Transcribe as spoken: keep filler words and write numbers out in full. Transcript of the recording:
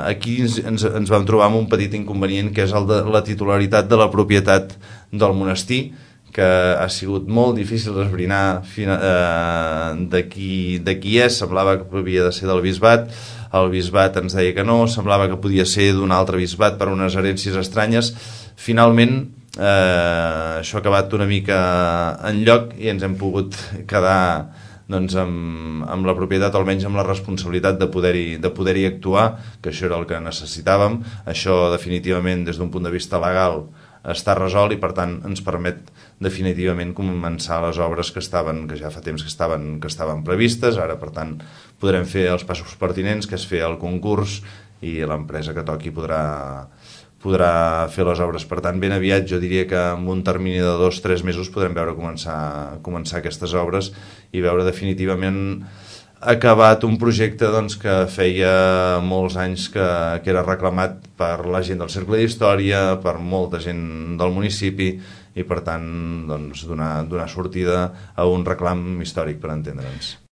Aquí ens, ens, ens vam trobar amb un petit inconvenient, que és el de la titularitat de la propietat del monestir, que ha sigut molt difícil esbrinar eh, de, qui, de qui és. Semblava que havia de ser del bisbat, el bisbat ens deia que no, semblava que podia ser d'un altre bisbat per unes herències estranyes. Finalment eh, això ha acabat una mica en lloc i ens hem pogut quedar doncs, amb, amb la propietat, almenys amb la responsabilitat de poder-hi de poder-hi actuar, que això era el que necessitàvem. Això definitivament des d'un punt de vista legal està resolt i per tant ens permet definitivament començar les obres que estaven, que ja fa temps que estaven, que estaven previstes. Ara per tant podrem fer els passos pertinents, que és fer el concurs, i l'empresa que toqui podrà podrà fer les obres. Per tant, ben aviat, jo diria que en un termini de dos o tres mesos podrem veure començar, començar aquestes obres i veure definitivament acabat un projecte doncs, que feia molts anys que, que era reclamat per la gent del Cercle d'Història, per molta gent del municipi, i per tant doncs, donar, donar sortida a un reclam històric, per entendre'ns.